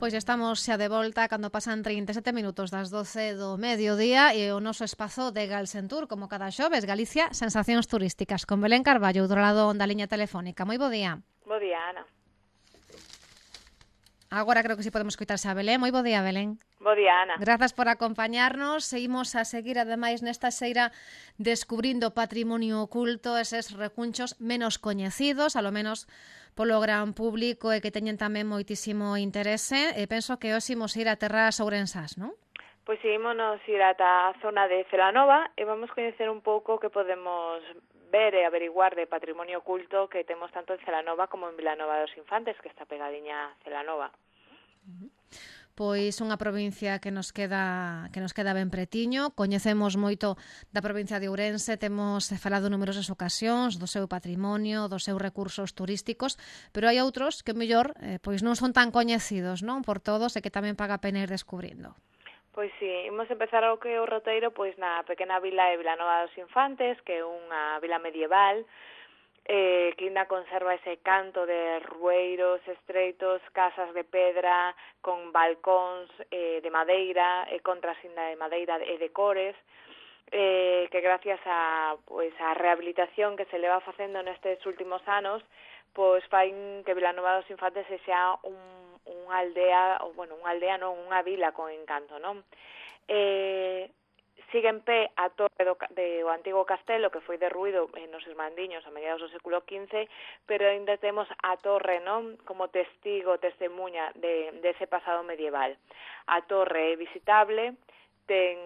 Pois estamos xa de volta cando pasan 37 minutos das 12 do mediodía e o noso espazo de Galsentur, como cada xoves, Galicia, sensacións turísticas, con Belén Carballo, outro lado da liña telefónica. Moi bo día. Bo día, Ana. Agora creo que si podemos coitarse a Belén. Moi bo día, Belén. Bo día, Ana. Grazas por acompañarnos. Seguimos a seguir, ademais, nesta xeira descubrindo patrimonio oculto, eses recunchos menos coñecidos, a lo menos polo gran público e que teñen tamén moitísimo interese. E penso que hoxe imos ir a terras ourensás, non? Pois ímonos ir ata a zona de Celanova e vamos coñecer un pouco que podemos ver e averiguar de patrimonio oculto que temos tanto en Celanova como en Vilanova dos Infantes, que está pegadiña a Celanova. Pois unha provincia que nos queda ben pretiño. Coñecemos moito da provincia de Ourense, temos falado en numerosas ocasións do seu patrimonio, dos seus recursos turísticos, pero hai outros que mellor pois non son tan coñecidos, non, por todos, e que tamén paga a pena ir descubrindo. Pois sí, imos empezar o que o roteiro pois na pequena vila de Vilanova dos Infantes, que é unha vila medieval, que ainda conserva ese canto de rueiros estreitos, casas de pedra, con balcóns de madeira, contras ainda de madeira e de cores, que gracias a rehabilitación que se leva facendo nestes últimos anos, pois fain que Vilanova dos Infantes sexa unha aldea, unha vila con encanto, non? Sigue en pé a torre do antigo castelo que foi derruído nos Irmandiños a mediados do século XV, pero ainda temos a torre, non, como testemunha dese pasado medieval. A torre é visitable, ten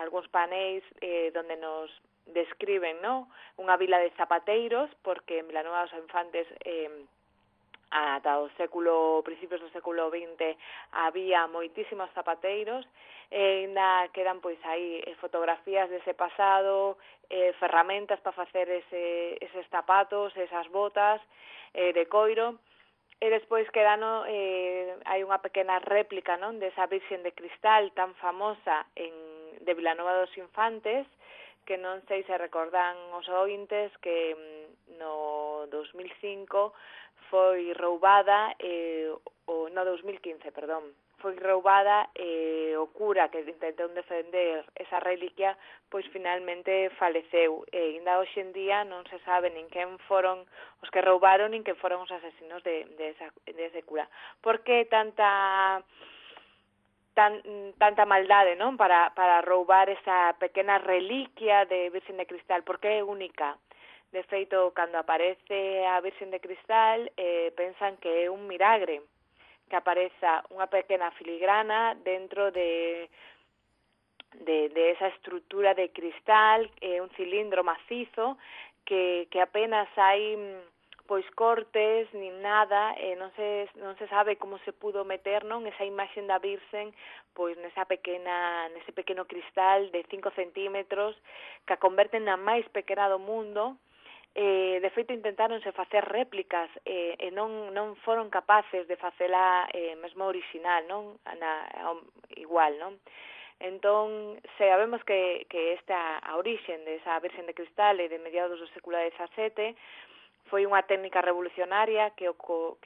algúns paneis donde nos describen, non, unha vila de zapateiros, porque en Vilanova dos Infantes ata o principios do século XX había moitísimos zapateiros, e ainda quedan pois aí fotografías dese pasado, ferramentas para facer eses zapatos, esas botas de coiro, e despois hai unha pequena réplica, non, desa Virxen de Cristal tan famosa de Vilanova dos Infantes, que non sei se recordan os ointes que no 2005 foi roubada, no 2015, foi roubada o cura que intentou defender esa reliquia, pois finalmente faleceu. E ainda hoxe en día non se sabe nin quen foron os que roubaron, nin quen foron os asesinos de ese cura. Por que tanta maldade, non, para roubar esa pequena reliquia de Virxen de Cristal? Porque é única. De feito, cando aparece a Virxen de Cristal, pensan que é un milagre que apareza unha pequena filigrana dentro de esa estrutura de cristal, un cilindro macizo, que apenas hai pois cortes nin nada, non se sabe como se pudo meter, non, esa imaxen da Virxen pois nese pequeno cristal de 5 centímetros que a converten na máis pequena do mundo. De feito intentáronse facer réplicas e non foron capaces de facela mesmo original, non, igual, non? Entón, sabemos que a orixen desa Virxen de Cristal de mediados do século XVII foi unha técnica revolucionaria que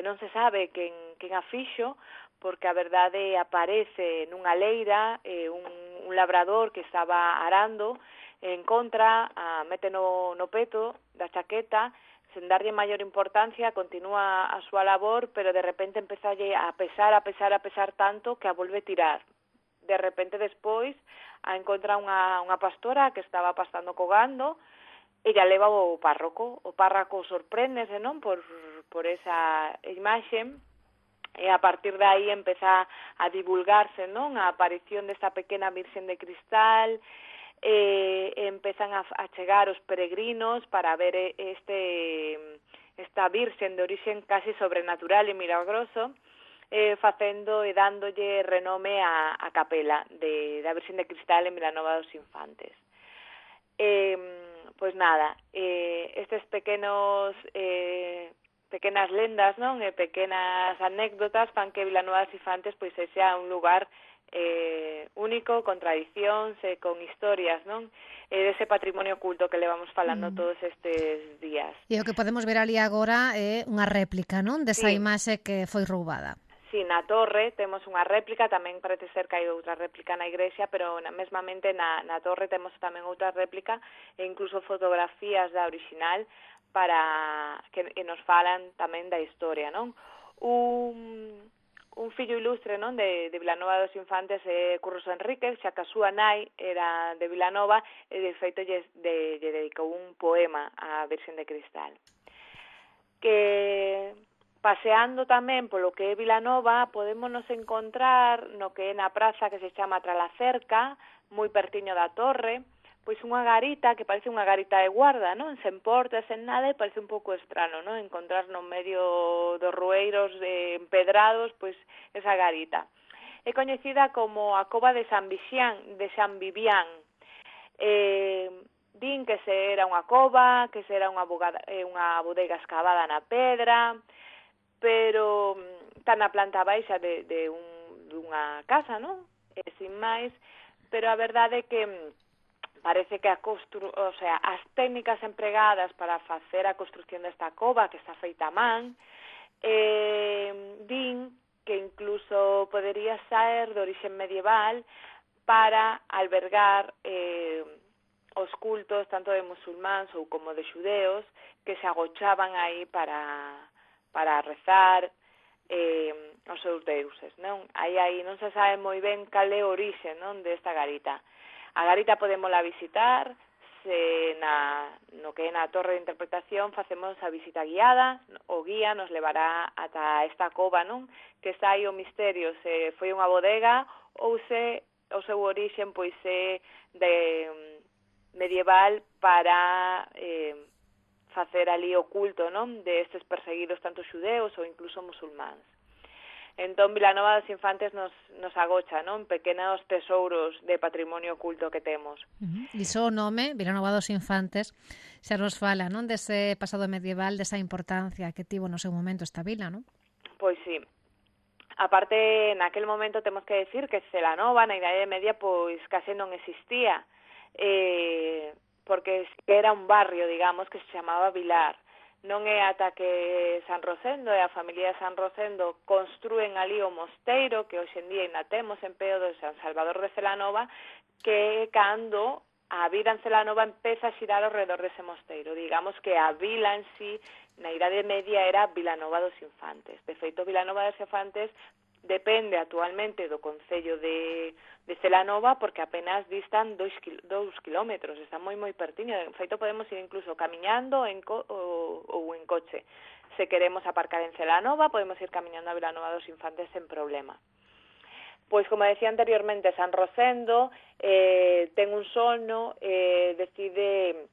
non se sabe quen a fixo, porque a verdade aparece nunha leira, un labrador que estaba arando, en contra, mete no peto da chaqueta, sen darlle maior importancia, continúa a súa labor, pero de repente empeza a pesar tanto que a volve tirar. De repente despois a encontra unha pastora que estaba pastando co gando, e ya leva o párroco. O párroco sorpréndese, non, por esa imaxe, e a partir de aí empeza a divulgarse, non, a aparición desta pequena Virxen de Cristal, empezan a chegar os peregrinos para ver esta Virxen de orixen casi sobrenatural e milagroso, facendo e dándolle renome a capela da Virxen de Cristal en Vilanova dos Infantes. Pois nada, estes pequenas lendas, non, e pequenas anécdotas fan que Vilanova dos Infantes pois sexa un lugar único, con tradicións e con historias, non? Dese patrimonio oculto que levamos falando todos estes días. E o que podemos ver ali agora é unha réplica, non? Desa Sí. imaxe que foi roubada. sí, na torre temos unha réplica, tamén parece ser que hai outra réplica na igrexa, pero mesmamente na torre temos tamén outra réplica e incluso fotografías da original para que nos falan tamén da historia, non? Un fillo ilustre, non, de Vilanova dos Infantes é Curros Enríquez, xa que a súa nai era de Vilanova e de feito lle dedicou un poema á Virxen de Cristal. Que paseando tamén polo que é Vilanova, podémonos encontrar no que é na praza que se chama Tralacerca, moi pertiño da torre, pois unha garita que parece unha garita de guarda, non? Sen portas, sen nada, e parece un pouco estrano, non? Encontrar no medio dos rueiros empedrados, pois esa garita. É coñecida como a cova de San Vivián. Din que se era unha cova, que se era unha bodega escavada na pedra, pero está na planta baixa dunha casa, non? E sin máis, pero a verdade é que parece que as técnicas empregadas para facer a construción desta cova, que está feita a man, din que incluso podería ser de orixen medieval para albergar os cultos tanto de musulmáns ou como de xudeos que se agochaban aí para rezar os seus deuses, non? Aí non se sabe moi ben cal é o orixe, non, desta garita. A garita podémola visitar, no que é na torre de interpretación facemos a visita guiada, o guía nos levará ata esta cova, non? Que está aí o misterio, se foi unha bodega ou se o seu orixen pois é de medieval para facer ali o culto, non? De estes perseguidos tanto xudeos ou incluso musulmáns. Entón, Vilanova dos Infantes nos agocha, non? Pequenos tesouros de patrimonio oculto que temos. E só o nome, Vilanova dos Infantes, xa nos fala, non? Dese pasado medieval, desa importancia que tivo no seu momento esta vila, non? Pois sí. Aparte, naquel momento temos que decir que Celanova, na Idade Media, pois case non existía, porque era un barrio, digamos, que se chamaba Vilar. Non é ata que San Rosendo e a familia de San Rosendo construen ali o mosteiro, que hoxe en día ainda temos en pé do San Salvador de Celanova, que cando a vida en Celanova empeza a xirar ao redor dese mosteiro. Digamos que a vila en sí, na Idade Media, era Vilanova dos Infantes. De feito, Vilanova dos Infantes depende actualmente do concello de Celanova porque apenas distan 2 kilómetros, está moi pertiño. De feito, podemos ir incluso camiñando ou en coche. Se queremos aparcar en Celanova, podemos ir camiñando a Vilanova dos Infantes sen problema. Pois, como decía anteriormente, San Rosendo ten un sono, decide,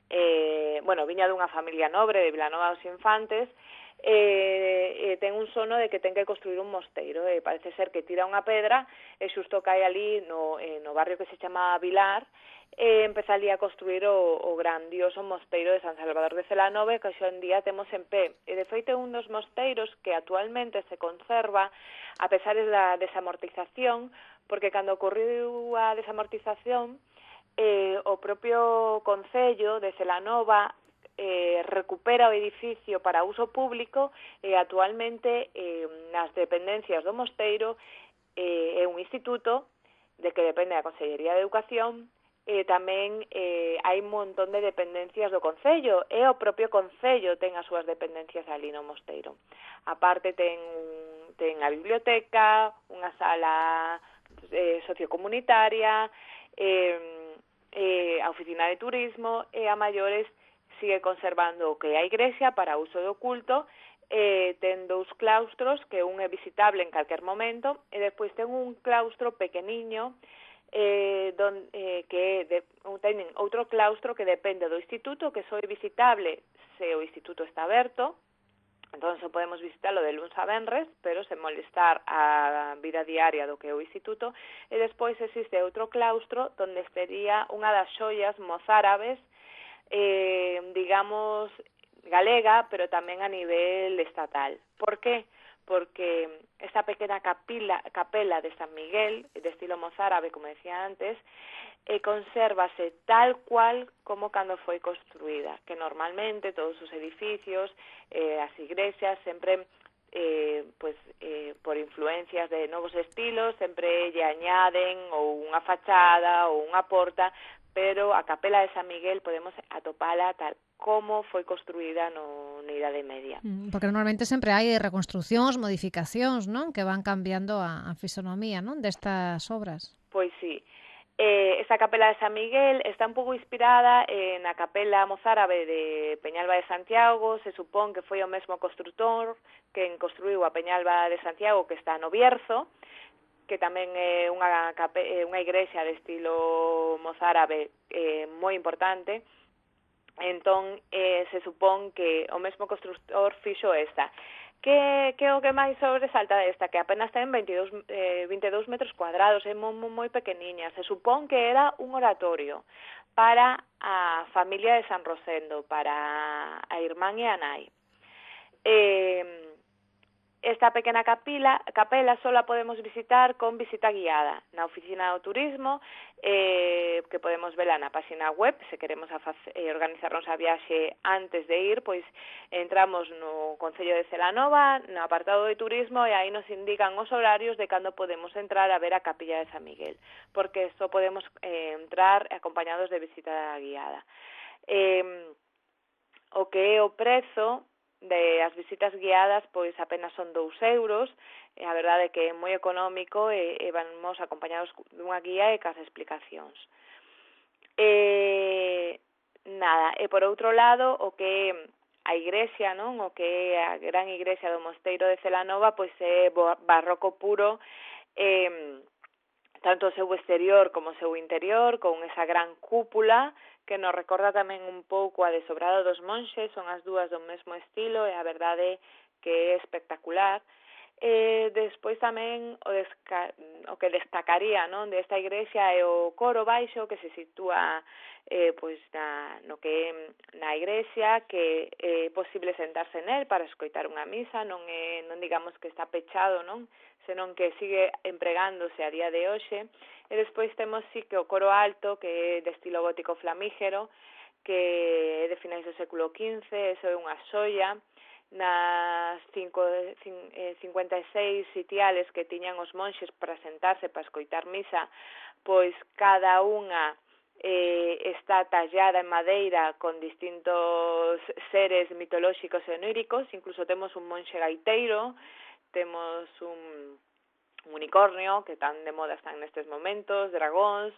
viña dunha familia nobre de Vilanova dos Infantes, ten un sono de que ten que construir un mosteiro, parece ser que tira unha pedra e xusto cae ali no barrio que se chama Vilar, empeza ali a construir o grandioso mosteiro de San Salvador de Celanova, que hoxe en día temos en pé. E de feito é un dos mosteiros que actualmente se conserva a pesar da desamortización, porque cando ocorreu a desamortización, o propio concello de Celanova recupera o edificio para uso público e actualmente nas dependencias do mosteiro é un instituto de que depende da Consellería de Educación e tamén hai un montón de dependencias do concello e o propio concello ten as súas dependencias ali no mosteiro. Aparte ten a biblioteca, unha sala sociocomunitaria, a oficina de turismo e a maiores sigue conservando o que é a igrexa para uso do culto, ten 2 claustros, que un é visitable en calquer momento, e despois ten un claustro pequeniño, teñen outro claustro que depende do instituto, que só é visitable se o instituto está aberto, entón só podemos visitarlo de luns a venres, pero sen molestar a vida diaria do que é o instituto, e despois existe outro claustro onde estaría unha das xoias mozárabes, digamos, galega, pero tamén a nivel estatal. Por qué? Porque esta pequena capela de San Miguel, de estilo mozárabe, como decía antes, consérvase tal cual como cando foi construída, que normalmente todos os edificios, as igrexas, sempre por influencias de novos estilos, sempre lle añaden ou unha fachada ou unha porta, pero a capela de San Miguel podemos atopala tal como foi construída na Idade Media. Porque normalmente sempre hai reconstrucións, modificacións, non? Que van cambiando a fisonomía, non? Destas obras. Pois sí. Esta capela de San Miguel está un pouco inspirada na capela mozárabe de Peñalba de Santiago. Se supón que foi o mesmo construtor que construiu a Peñalba de Santiago, que está no Bierzo, que tamén é unha igrexa de estilo mozárabe moi importante. Entón, se supón que o mesmo construtor fixo esta. Que o que máis sobresalta desta, que apenas ten 22 metros cuadrados, é moi pequeniña. Se supón que era un oratorio para a familia de San Rosendo, para a irmán e a nai. Esta pequena capela só a podemos visitar con visita guiada na oficina do turismo, que podemos vela na página web. Se queremos organizarnos a viaxe antes de ir, pois entramos no Concello de Celanova, no apartado de turismo, e aí nos indican os horarios de cando podemos entrar a ver a capilla de San Miguel, porque só podemos entrar acompañados de visita guiada. O que é o prezo de as visitas guiadas, pois apenas son 2 euros, a verdade é que é moi económico e vamos acompañados dunha guía e cas explicacións. E por outro lado, o que a igrexa, non? O que é a gran igrexa do Mosteiro de Celanova, pois é barroco puro, tanto o seu exterior como o seu interior, con esa gran cúpula que nos recorda tamén un pouco a de Sobrado dos Monxes. Son as dúas do mesmo estilo e a verdade que é espectacular. Despois tamén o que destacaría, non, desta igrexa é o coro baixo, que se sitúa na igrexa, que é posible sentarse nel para escoitar unha misa. Non digamos que está pechado, non, senón que sigue empregándose a día de hoxe. E despois temos sí que o coro alto, que é de estilo gótico flamígero, que é de finais do século XV. Eso é unha xoia. Nas 56 sitiales que tiñan os monxes para sentarse, para escoitar misa, pois cada unha está tallada en madeira con distintos seres mitolóxicos e oníricos. Incluso temos un monxe gaiteiro, temos un unicornio, que tan de moda están nestes momentos, dragóns,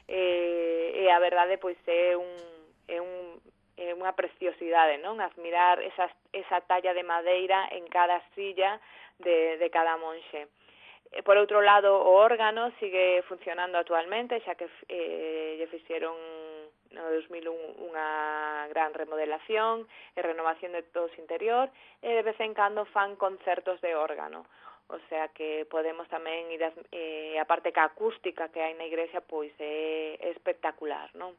e a verdade pois é unha preciosidade, non? Admirar esa talla de madeira en cada silla de cada monxe. Por outro lado, o órgano sigue funcionando actualmente, xa que lle fixeron no 2001 unha gran remodelación e renovación de todo o interior, e de vez en cando fan concertos de órgano. O sea que podemos tamén ir, a parte que a acústica que hai na igrexa, pois é espectacular, non?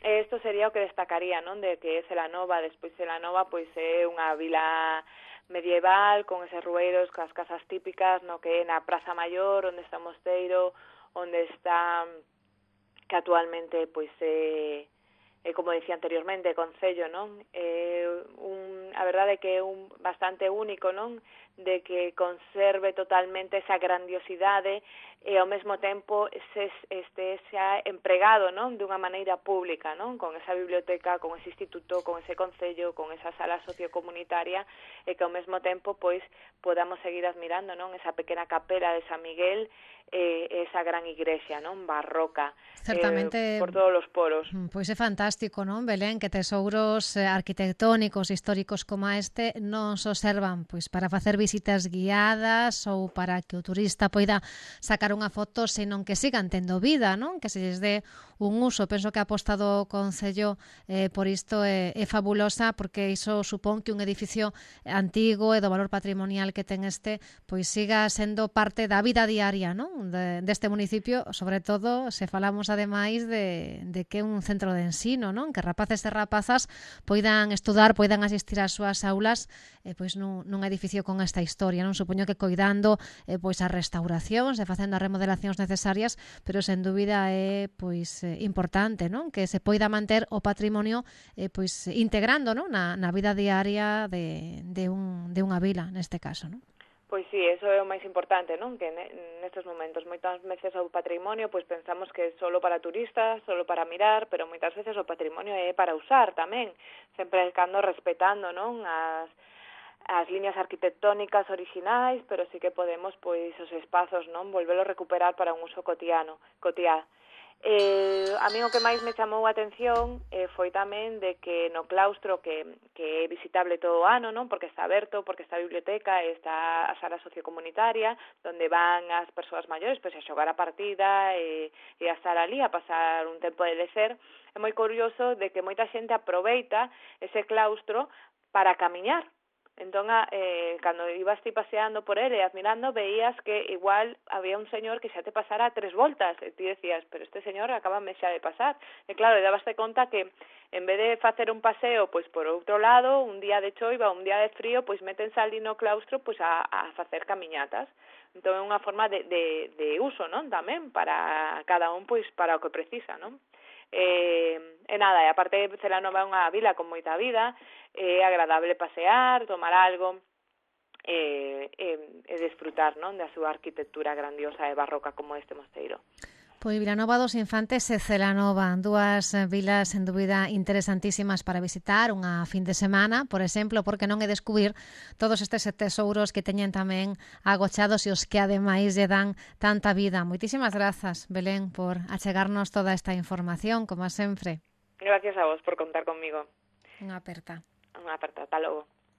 Isto sería o que destacaría, non, de que é Celanova. Despois Celanova pois é unha vila medieval con eses rueiros, coas casas típicas, no que é na Praza Maior, onde está o mosteiro, onde está, que actualmente pois é como dicía anteriormente, Concello, non? A verdade é que é bastante único, non? De que conserve totalmente esa grandiosidade e ao mesmo tempo xa empregado, non? Dunha maneira pública, non? Con esa biblioteca, con ese instituto, con ese concello, con esa sala sociocomunitaria, e que ao mesmo tempo pois podamos seguir admirando, non? Esa pequena capela de San Miguel, esa gran igrexa, non? Barroca. Certamente, por todos os poros. Pois é fantástico, non, Belén, que tesouros arquitectónicos, históricos como este non só servan pois para facer visitas guiadas ou para que o turista poida sacar unha foto, senón que sigan tendo vida, non? Que se lles dé un uso. Penso que a aposta do Concello por isto é fabulosa, porque iso supón que un edificio antigo e do valor patrimonial que ten este pois siga sendo parte da vida diaria, non? Deste municipio, sobre todo se falamos ademais de que é un centro de ensino, non? Que rapaces e rapazas poidan estudar, poidan asistir ás súas aulas pois nun edificio con esta esta historia, non? Supoño que coidando pois as restauracións e facendo as remodelacións necesarias, pero sen dúbida é pois importante, non? Que se poida manter o patrimonio pois integrando, non? Na vida diaria de unha vila, neste caso, non? Pois sí, eso é o máis importante, non? Que nestes momentos moitas veces o patrimonio pois pensamos que é solo para turistas, solo para mirar, pero moitas veces o patrimonio é para usar tamén, sempre cando respetando, non? As liñas arquitectónicas orixinais, pero sí que podemos pois os espazos, non? Volvelo a recuperar para un uso cotiá. A mí o que máis me chamou a atención foi tamén de que no claustro que é visitable todo o ano, non? Porque está aberto, porque está a biblioteca, está a sala sociocomunitaria, onde van as persoas maiores pois a xogar a partida e a estar ali a pasar un tempo de lecer. É moi curioso de que moita xente aproveita ese claustro para camiñar. Entón, cando ibas ti paseando por ele e admirando, veías que igual había un señor que xa te pasara 3 voltas, e ti decías, pero este señor acabame xa de pasar. E claro, dabaste conta que en vez de facer un paseo pois por outro lado, un día de choiva, un día de frío, pois métense ali no claustro pois a facer camiñatas. Entón é unha forma de uso, non? Tamén para cada un pois para o que precisa, non? E nada, e aparte Celanova é unha vila con moita vida, é agradable pasear, tomar algo e desfrutar, non, da súa arquitectura grandiosa e barroca como este mosteiro. Pois Vilanova dos Infantes e Celanova, dúas vilas en dúbida interesantísimas para visitar unha fin de semana, por exemplo, porque non é descubrir todos estes tesouros que teñen tamén agochados e os que ademais lle dan tanta vida. Moitísimas grazas, Belén, por achegarnos toda esta información, como sempre. Gracias a vos por contar conmigo. Unha aperta. Unha aperta, ata logo.